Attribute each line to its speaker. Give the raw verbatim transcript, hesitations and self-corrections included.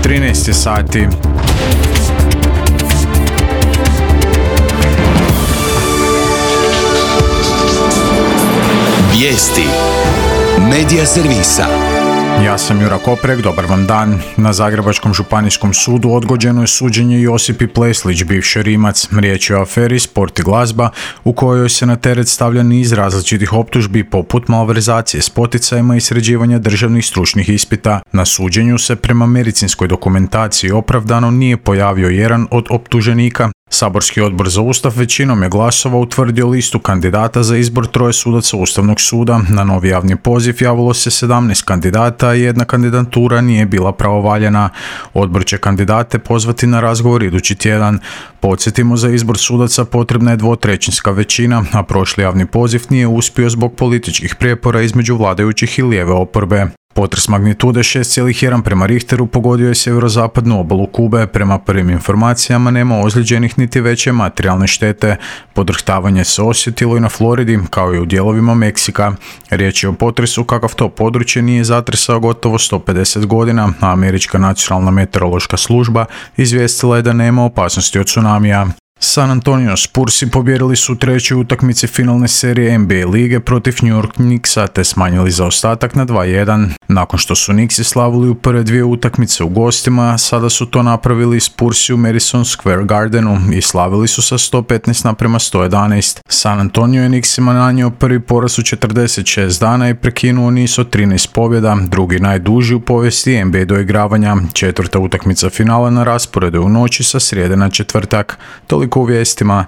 Speaker 1: trinaest je sati.
Speaker 2: Vijesti Medija servisa.
Speaker 1: Ja sam Jura Koprek, dobar vam dan. Na Zagrebačkom županijskom sudu odgođeno je suđenje Josipi Pleslić, bivši Rimac. Riječ je o aferi Sport i glazba, u kojoj se na teret stavlja niz različitih optužbi poput malverzacije s poticajima i sređivanja državnih stručnih ispita. Na suđenju se prema medicinskoj dokumentaciji opravdano nije pojavio jedan od optuženika. Saborski odbor za Ustav većinom je glasova utvrdio listu kandidata za izbor troje sudaca Ustavnog suda. Na novi javni poziv javilo se sedamnaest kandidata i jedna kandidatura nije bila pravovaljana. Odbor će kandidate pozvati na razgovor idući tjedan. Podsjetimo, za izbor sudaca potrebna je dvotrećinska većina, a prošli javni poziv nije uspio zbog političkih prijepora između vladajućih i lijeve oporbe. Potres magnitude šest zarez jedan prema Richteru pogodio je sjeverozapadnu obalu Kube. Prema prvim informacijama nema ozlijeđenih niti veće materijalne štete. Podrhtavanje se osjetilo i na Floridi, kao i u dijelovima Meksika. Riječ je o potresu kakav to područje nije zatresao gotovo sto pedeset godina, a Američka nacionalna meteorološka služba izvijestila je da nema opasnosti od tsunamija. San Antonio Spursi pobijedili su u trećoj utakmici finalne serije N B A lige protiv New York Knicksa te smanjili zaostatak na dva jedan. Nakon što su Knicksi slavili u prve dvije utakmice u gostima, sada su to napravili Spursi u Madison Square Gardenu i slavili su sa sto petnaest naprema sto jedanaest. San Antonio je Knicksima nanio prvi poraz u četrdeset šest dana i prekinuo niz od trinaest pobjeda, drugi najduži u povijesti N B A doigravanja. Četvrta utakmica finala na rasporedu u noći sa srijede na četvrtak. Toliko u vijestima.